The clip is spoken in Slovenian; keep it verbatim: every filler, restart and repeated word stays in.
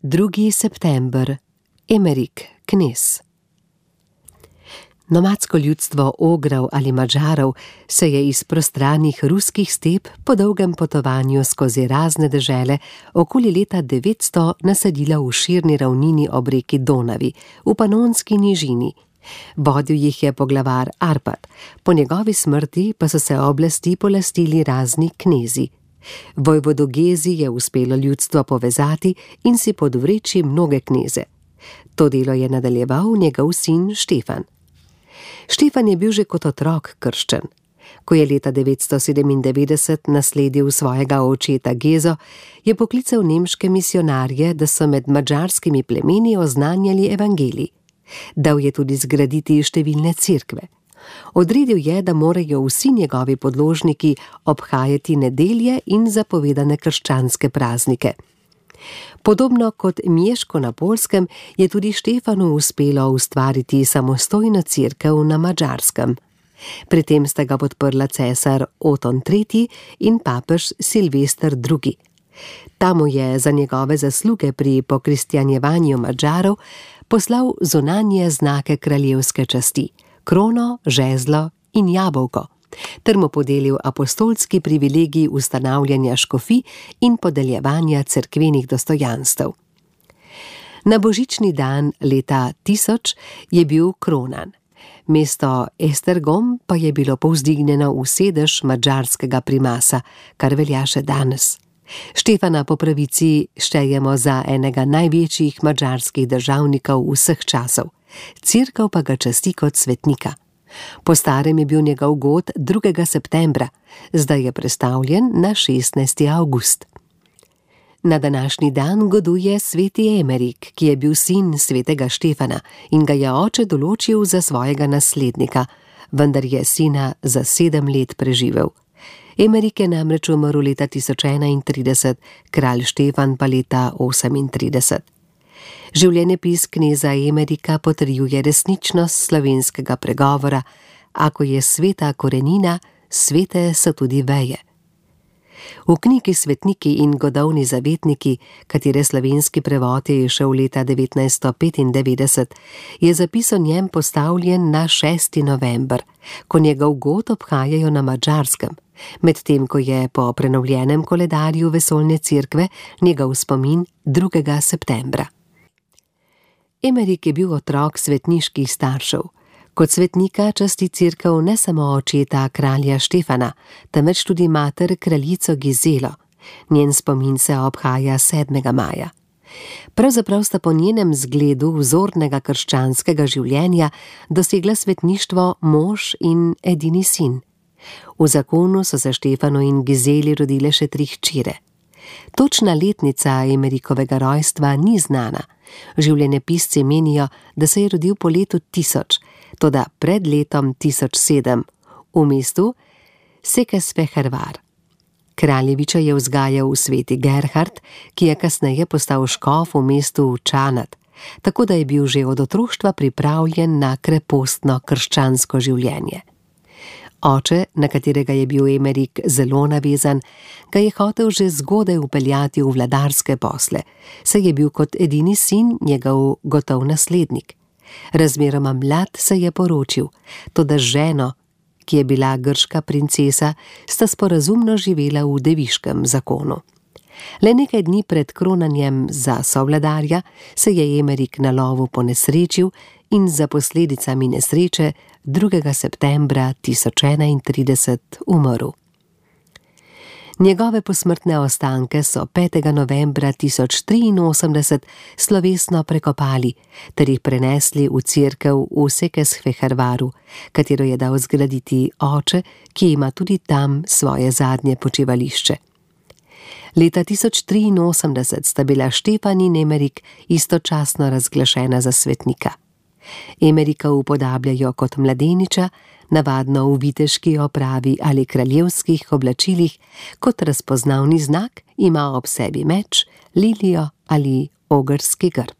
drugi september, Emerik, knez. Nomadsko ljudstvo Ogrov ali Madžarov se je iz prostranih ruskih step po dolgem potovanju skozi razne dežele okoli leta devetsto naselilo v širni ravnini ob reki Donavi, v Panonski nižini. Vodil jih je poglavar Arpad, po njegovi smrti pa so se oblasti polastili razni knezi. Vojvodu Gezi je uspelo ljudstvo povezati in si podvreči mnoge kneze. To delo je nadaljeval njegov sin Štefan. Štefan je bil že kot otrok krščen. Ko je leta devetsto sedemindevetdeset nasledil svojega očeta Gezo, je poklical nemške misionarje, da so med madžarskimi plemeni oznanjali evangelij. Dal je tudi zgraditi številne cerkve. Odredil je, da morajo vsi njegovi podložniki obhajati nedelje in zapovedane krščanske praznike. Podobno kot Mieško na Poljskem je tudi Štefanu uspelo ustvariti samostojno cerkev na Madžarskem. Pri tem sta ga podprla cesar Oton tretji in papež Silvester drugi. Ta mu je za njegove zasluge pri pokristjanjevanju Madžarov poslal zunanje znake kraljevske časti, krono, žezlo in jabolko, ter mu podelil apostolski privilegij ustanavljanja škofij in podeljevanja cerkvenih dostojanstev. Na božični dan leta tisoč je bil kronan. Mesto Esztergom pa je bilo povzdignjeno v sedež madžarskega primasa, kar velja še danes. Štefana po pravici štejemo za enega največjih madžarskih državnikov vseh časov, cerkev pa ga časti kot svetnika. Po starem je bil njegov god drugega septembra, zdaj je prestavljen na šestnajsti avgust. Na današnji dan goduje sveti Emerik, ki je bil sin svetega Štefana in ga je oče določil za svojega naslednika, vendar je sina za sedem let preživel. Emerik je namreč umrl leta tisoč enaintrideset, kralj Štefan pa leta osemintrideset. Življenjepis kneza Emerika potrjuje resničnost slovenskega pregovora: ako je sveta korenina, svete so tudi veje. V knjigi Svetniki in godovni zavetniki, katere slovenski prevod je izšel leta devetnajststo petindevetdeset, je zapis o njem postavljen na šesti november, ko njegov god obhajajo na Madžarskem, medtem ko je po prenovljenem koledarju vesoljne cerkve njegov spomin drugega septembra. Emerik je bil otrok svetniških staršev. Kot svetnika časti cerkev ne samo očeta kralja Štefana, temveč tudi mater kraljico Gizelo. Njen spomin se obhaja sedmega maja. Pravzaprav sta po njenem zgledu vzornega krščanskega življenja dosegla svetništvo mož in edini sin. V zakonu so se Štefanu in Gizeli rodile še tri hčere. Točna letnica Emerikovega rojstva ni znana. Življenjepisci menijo, da se je rodil po letu tisoč, toda pred letom tisoč sedem, v mestu Székesfehérvár. Kraljeviča je vzgajal sveti Gerhard, ki je kasneje postal škof v mestu Čanad, tako da je bil že od otroštva pripravljen na krepostno krščansko življenje. Oče, na katerega je bil Emerik zelo navezan, ga je hotel že zgodaj vpeljati v vladarske posle, saj je bil kot edini sin njegov gotov naslednik. Razmeroma mlad se je poročil, toda z ženo, ki je bila grška princesa, sta sporazumno živela v deviškem zakonu. Le nekaj dni pred kronanjem za sovladarja se je Emerik na lovu ponesrečil in za posledicami nesreče drugega septembra tisoč enaintrideset umrl. Njegove posmrtne ostanke so petega novembra tisoč triinosemdeset slovesno prekopali ter jih prenesli v cerkev v Székesfehérváru, katero je dal zgraditi oče, ki ima tudi tam svoje zadnje počivališče. Leta tisoč triinosemdeset sta bila Štefan in Emerik istočasno razglašena za svetnika. Emerika upodabljajo kot mladeniča, navadno v viteški opravi ali kraljevskih oblačilih, kot razpoznavni znak ima ob sebi meč, lilijo ali ogrski grb.